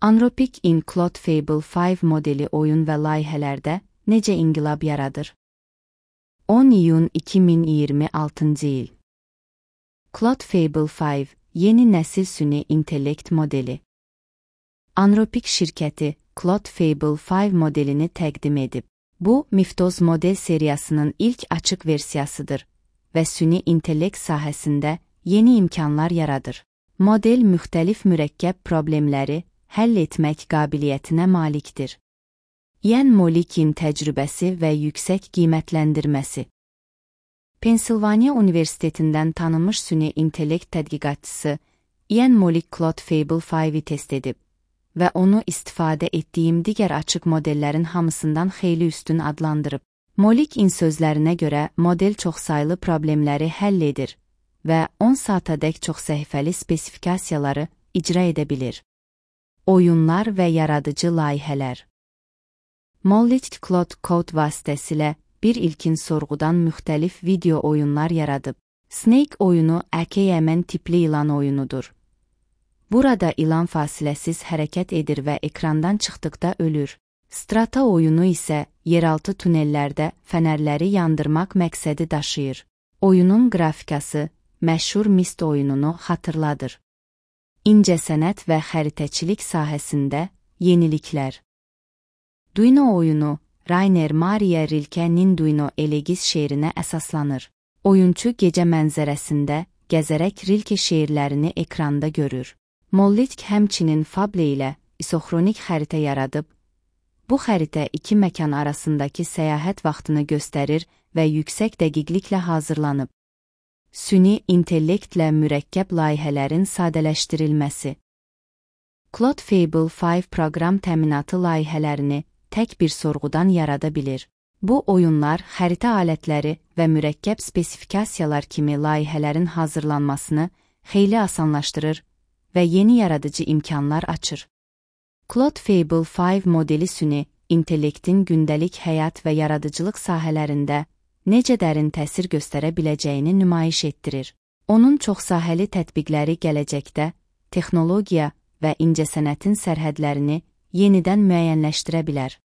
Anthropic in Claude Fable 5 modeli oyun və layihələrdə necə inqilab yaradır? 10 iyun 2026 il. Claude Fable 5 yeni nəsil süni intellekt modeli. Anthropic şirkəti Claude Fable 5 modelini təqdim edib. Bu, Mythos model seriyasının ilk açıq versiyasıdır və süni intellekt sahəsində yeni imkanlar yaradır. Model müxtəlif mürəkkəb problemləri həll etmək qabiliyyətinə malikdir. Ian Molickin təcrübəsi və yüksək qiymətləndirməsi. Pensilvaniya Universitetindən tanınmış süni intellekt tədqiqatçısı Ian Molik Claude Fable 5-i test edib və onu istifadə etdiyim digər açıq modellərin hamısından xeyli üstün adlandırıb. Molikkin sözlərinə görə model çoxsaylı problemləri həll edir və 10 saatadək çox səhifəli spesifikasiyaları icra edə bilir. Oyunlar və yaradıcı layihələr. Molik Claude Code vasitəsilə bir ilkin sorğudan müxtəlif video oyunlar yaradıb. Snake oyunu əkəymən tipli ilan oyunudur. Burada ilan fasiləsiz hərəkət edir və ekrandan çıxdıqda ölür. Strata oyunu isə yeraltı tunellərdə fənərləri yandırmaq məqsədi daşıyır. Oyunun qrafikası məşhur Myst oyununu xatırladır. İncəsənət və xəritəçilik sahəsində yeniliklər. Duino oyunu Rainer Maria Rilke'nin Duino Elegis şeirinə əsaslanır. Oyunçu gecə mənzərəsində gəzərək Rilke şeirlərini ekranda görür. Molik həmçinin Fable ilə isoxronik xəritə yaradıb. Bu xəritə iki məkan arasındakı səyahət vaxtını göstərir və yüksək dəqiqliklə hazırlanıb. Süni intellektlə mürəkkəb layihələrin sadələşdirilməsi. Claude Fable 5 proqram təminatı layihələrini tək bir sorğudan yarada bilir. Bu oyunlar, xəritə alətləri və mürəkkəb spesifikasiyalar kimi layihələrin hazırlanmasını xeyli asanlaşdırır və yeni yaradıcı imkanlar açır. Claude Fable 5 modeli süni intellektin gündəlik həyat və yaradıcılıq sahələrində necə dərin təsir göstərə biləcəyini nümayiş etdirir. Onun çoxsahəli tətbiqləri gələcəkdə texnologiya və incəsənətin sərhədlərini yenidən müəyyənləşdirə bilər.